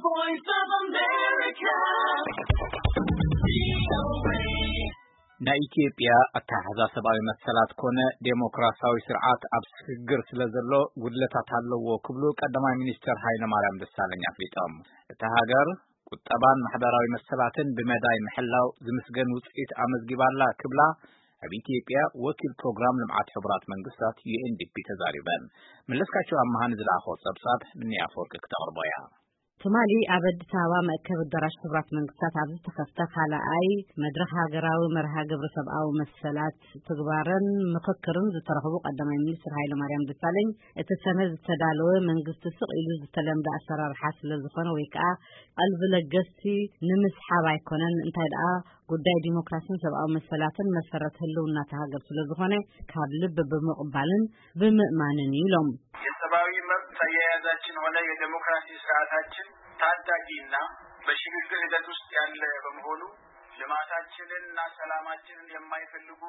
Voice of America. ናይ ኢትዮጵያ ኣተሓሕዛ ሰብኣዊ መሰላት ኮነ ዴሞክራሲያዊ ስርዓት ኣብ ስግግር ስለ ዘሎ ጉድለታት ኣለዎ ክብሉ ቀዳማይ ሚኒስትር ሃይለ ማርያም ደሳለኝ ኣፍሊጦም። እታ ሃገር ቁጠባን ማሕበራዊ መሰላትን ብመዳይ ምሕላው ዝምስገን ውፅኢት ኣመዝጊባላ ክብላ ኣብ ኢትዮጵያ ወኪል ፕሮግራም ልምዓት ሕቡራት መንግስታት ዩ ኤን ዲ ፒ ተዛሪበን። መለስካቸው ኣመሃ ንዝለኣኾ ጸብጻብ ምንያ ኣፈወርቂ ክተቕርቦ እያ። ትማሊ ኣብ ኣዲስ ኣበባ መእከብ ኣዳራሽ ሕቡራት መንግስታት ኣብ ዝተኸፍተ ካልኣይ መድረኽ ሃገራዊ መርሃ ግብሪ ሰብኣዊ መሰላት ትግባረን ምኽክርን ዝተረኽቡ ቀዳማይ ሚኒስትር ሃይለ ማርያም ደሳለኝ፣ እቲ ሰነድ ዝተዳለወ መንግስቲ ስቕ ኢሉ ዝተለምደ ኣሰራርሓ ስለ ዝኾነ ወይ ከዓ ቀልቢ ለገስቲ ንምስሓብ ኣይኮነን፣ እንታይ ደኣ ጉዳይ ዲሞክራሲን ሰብኣዊ መሰላትን መሰረት ህልውና እታ ሃገር ስለ ዝኾነ ካብ ልቢ ብምቕባልን ብምእማንን ኢሎም። የሰብአዊ መብት አያያዛችን ሆነ የዴሞክራሲ ስርዓታችን ታዳጊና በሽግግር ሂደት ውስጥ ያለ በመሆኑ ልማታችንንና ሰላማችንን የማይፈልጉ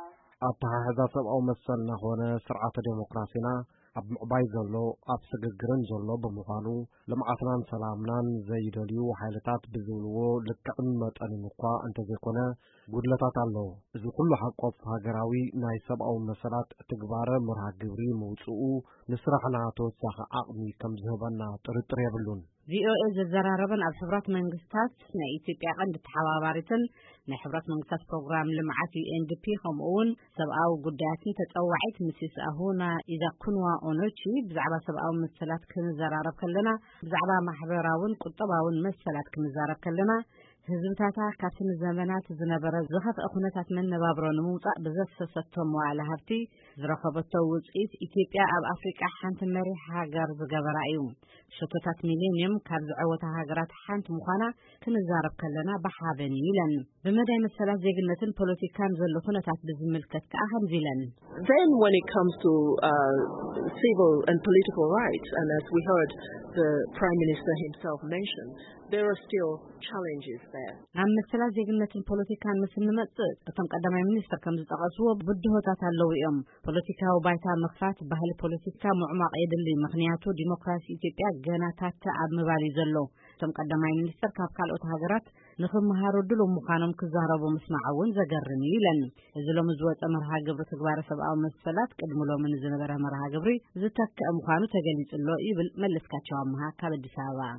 ኣተሓሕዛ ሰብኣዊ መሰልና ኾነ ስርዓተ ዴሞክራሲና ኣብ ምዕባይ ዘሎ፣ ኣብ ስግግርን ዘሎ ብምዃኑ፣ ልምዓትናን ሰላምናን ዘይደልዩ ሓይልታት ብዝብልዎ ልክዕን መጠንን እኳ እንተዘይኮነ፣ ጉድለታት ኣሎ። እዚ ኩሉ ሓቆፍ ሃገራዊ ናይ ሰብኣዊ መሰላት ትግባረ መርሃ ግብሪ ምውፅኡ፣ ንስራሕና ተወሳኺ ዓቕሚ ከም ዝህበና ጥርጥር የብሉን። ቪ ኦ ኤ ዘዘራረበን ኣብ ሕቡራት መንግስታት ናይ ኢትዮጵያ ቀንዲ ተሓባባሪትን ናይ ሕቡራት መንግስታት ፕሮግራም ልምዓት ዩ ኤን ዲ ፒ ከምኡ እውን ሰብኣዊ ጉዳያትን ተጸዋዒት ሚስስ ኣሁና ኢዛኩንዋ ኦኖቺ ብዛዕባ ሰብኣዊ መሰላት ክንዘራረብ ከለና፣ ብዛዕባ ማሕበራውን ቁጠባውን መሰላት ክንዛረብ ከለና፣ ህዝብታታ ካብቲ ንዘመናት ዝነበረ ዝኸፍአ ኩነታት መነባብሮ ንምውጻእ ብዘፍሰሰቶ መዋዕለ ሃብቲ ዝረኸበቶ ውጽኢት ኢትዮጵያ ኣብ ኣፍሪቃ ሓንቲ መሪሕ ሃገር ዝገበራ እዩ። ሸቶታት ሚሌንየም ካብ ዝዐወታ ሃገራት ሓንቲ ምዃና ክንዛረብ ከለና ብሓበን እዩ ኢለን። ብመዳይ መሰላት ዜግነትን ፖለቲካን ዘሎ ኩነታት ብዝምልከት ከኣ ከምዚ ኢለን። Then when it comes to uh, civil and political rights, and as we heard the Prime Minister himself mention, there are still challenges there. ኣብ መሰላት ዜግነትን ፖለቲካን ምስ እንመጽእ፣ እቶም ቀዳማይ ሚኒስትር ከም ዝጠቐስዎ ብድሆታት ኣለዉ እዮም። ፖለቲካዊ ባይታ ምኽፋት፣ ባህሊ ፖለቲካ ምዕሟቕ የድሊ፣ ምኽንያቱ ዲሞክራሲ ኢትዮጵያ ገና ታተ ኣብ ምባል እዩ ዘሎ። እቶም ቀዳማይ ሚኒስትር ካብ ካልኦት ሃገራት ንኽመሃሩ ድሉው ምዃኖም ክዛረቡ ምስማዕ እውን ዘገርም እዩ ኢለን። እዚ ሎሚ ዝወጸ መርሃ ግብሪ ትግባረ ሰብኣዊ መሰላት ቅድሚ ሎሚ ንዝነበረ መርሃ ግብሪ ዝተክአ ምዃኑ ተገሊጹ ኣሎ ይብል መለስካቸው ኣምሃ ካብ ኣዲስ ኣበባ።